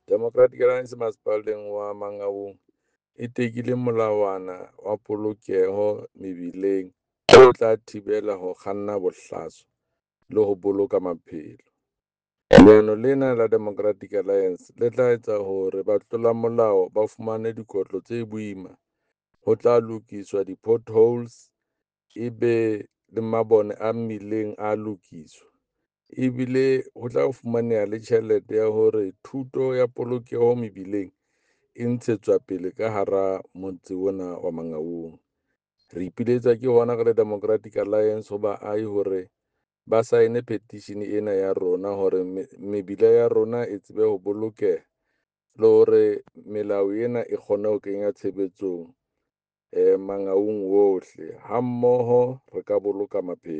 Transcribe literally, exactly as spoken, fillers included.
Democratic Alliance masepaleng wa Mangaung e tekile molawana wa polokeho mebileng o tla thibela ho kganna bohlaswa le ho boloka maphelo. Leano lena la Democratic Alliance le tla etsa hore batlolamolao ba fumane dikotlo tse boima. Ho tla lokiswa di-potholes, ebe le mabone a mmileng a lokiswa ebile ho tla fumaneha le tjhelete ya hore thuto ya polokeho mebileng e ntshetswa pele ka hara motse ona wa Mangaung. Re ipiletsa ke hona re le Democratic Alliance ho baahi hore ba sign petition ena ya rona hore mebila ya rona e tsebe ho bolokeha le hore melao ena e kgone ho kenya tshebetsong Mangaung ohle ha mmoho re ka boloka maphelo.